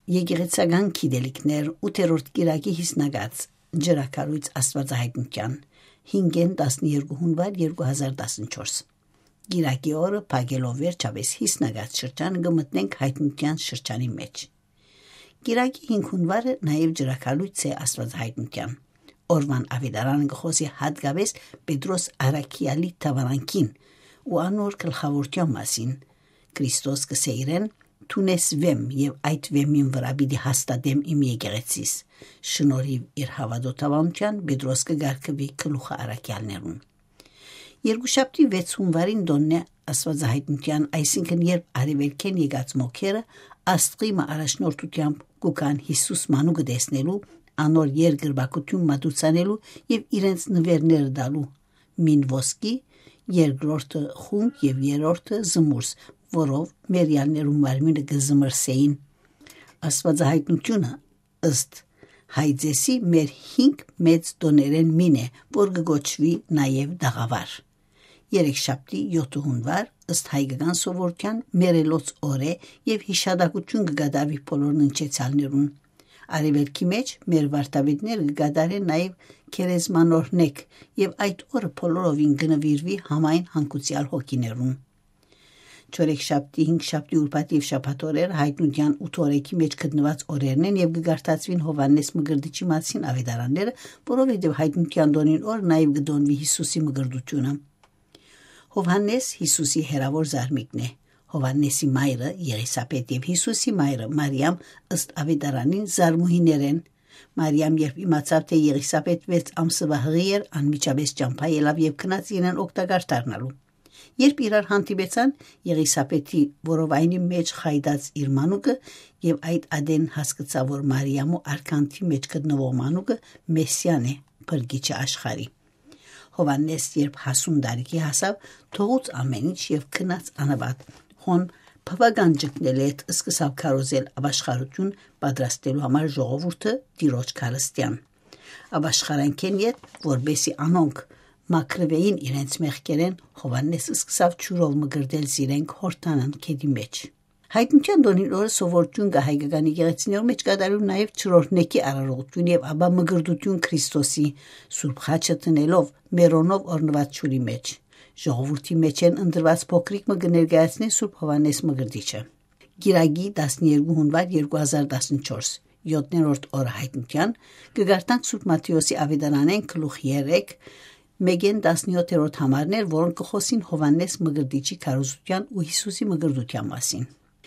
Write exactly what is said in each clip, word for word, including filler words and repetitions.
Եկեղեցական գիտելիքներ, ութերորդ կիրակի յիսնակաց, ջրակալոյց աստուածահայտնութեան, հինգէն տասներկու հունուար երկու հազար տասնչորս։ Կիրակի օրը փակելով վերջապէս յիսնակաց շրջան, կը մտնենք հայտնութեան շրջանի մէջ։ Կիրակի հինգ հունուարը նաեւ ջրակալոյց է աստուածահայտնութեան։ Օրուան աւետարանը կը խօսի յատկապէս Պետրոս Առաքեալի դաւարանքին ու անոր գլխաւորութեան մասին։ Քրիստոս կ'ըսէ իրեն. «Դուն ես վեմ, եւ այդ վեմին վրայ պիտի հաստատեմ իմ եկեղեցիս»։ Շնորհիւ իր հաւատոյթ դաւանութեան Պետրոս կը կարգուի գլուխը առաքեալներուն։ Երկուշաբթի վեց հունուարին տօնն է աստուածահայտնութեան, այսինքն երբ արեւելքէն եկած մոգերը աստղի մը առաջնորդութեամբ կու գան Յիսուս մանուկը տեսնելու, անոր երկրպագութիւն մատուցանելու եւ իրենց նուէրները տալու, մին ոսկի, երկրորդը խունկ եւ երրորդը զմուրս, որով մեռեալներուն մարմինը կը զմրսէին։ Աստուածահայտնութիւնը, ըստ Հայձեսի, մեր հինգ մեծ տօներէն մին է, որ կը կոչուի նաեւ տաղաւար։ Երեքշաբթի, յոթ հունուար, ըստ հայկական սովորութեան, մեռելոց օր է եւ յիշատակութիւն կը կատարուի բոլոր ննջեցեալներուն։ Արեւելքի մէջ մեր վարդապետները կը կատարեն նաեւ քերեզմանօրհնէք, եւ այդ օրը բոլորովին կը նուիրուի համայն հանգուցեալ հոգիներուն։ Չորեքշաբթի, հինգշաբթի, ուրբաթ եւ շաբաթ օրեր հայտնութեան ութ օրեքի մէջ գտնուած օրերն են եւ կը կարդացուին Յովհաննէս Մկրտիչի մասին աւետարանները, որովհետեւ հայտնութեան տօնին օր նաեւ կը տօնուի Յիսուսի մկրտութիւնը։ Յովհաննէս, Յիսուսի հեռաւոր զարմիկն է։ Յովհաննէսի մայրը՝ Եղիսաբեթ, եւ Յիսուսի մայրը՝ Մարիամ, ըստ աւետարանին, զարմուհիներ են։ Մարիամ, երբ իմացաւ, թէ Եղիսաբեթ վեց ամսուայ յղի էր, անմիջապէս ճամբայ ելաւ եւ գնաց իրեն օգտակար դառնալու։ Երբ իրար հանդիպեցան, Եղիսաբեթի որովայնի մէջ խայտած իր մանուկը, եւ այդ ատեն հասկցաւ, որ Մարիամու արգանդի մէջ գտնուող մանուկը Մեսիան է, փրկիչը աշխարհի։ Յովհաննէս, երբ հասուն տարիքի հասաւ, թողուց ամէն ինչ եւ գնաց անապատ։ Հոն բաւական ճգնել յետ սկսաւ քարոզել ապաշխարութիւն պատրաստելու համար ժողովուրդը Տիրոջ քարստեան։ Ապաշխարանքէն յետ, որպէսի անոնք մաքրուէին իրենց մեղքերէն, Յովհաննէս սկսաւ ջուրով մկրտել զիրենք Յորդանան գետի մէջ։ Հայտնութեան տօնին օրը սովորութիւն կայ հայկական եկեղեցիներու մէջ կատարելու նաեւ ջրօրհնէքի արարողութիւն եւ ապա մկրտութիւն Քրիստոսի, Սուրբ Խաչը դնելով մերոնով օրնուած ջուրի մէջ։ Ժողովուրդի մէջէն ընտրուած փոքրիկ մը կը ներկայացնէ Սուրբ Յովհաննէս Մկրտիչը։ Կիրակի, տասներկու հունուար երկու հազար տասնչորս, յոթերորդ օրը հայտնութեան, կը կարդանք Սուրբ Մատթէոսի աւետարանէն գլուխ երեք, մէկէն տասնյոթերորդ համարներ, որոնք կը խօսին Յովհաննէս Մկրտիչի քարոզութեան ու Յիսուսի մկրտութեան մասին։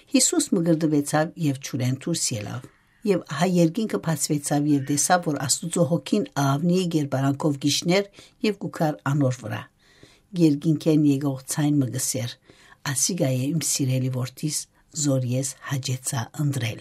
Յիսուս մկրտուեցաւ եւ ջուրէն դուրս ելաւ։ Եւ ահա երկինքը բացուեցաւ եւ տեսաւ, որ Աստուծոյ հոգին աղաւնիի կերպարանքով կ'իջնէր եւ կու գար անոր վրայ։ Երկինքէն եկող ձայն մը կ'ըսէր. «Ասիկա է իմ սիրելի որդիս, զոր ես հաճեցայ ընտրել»։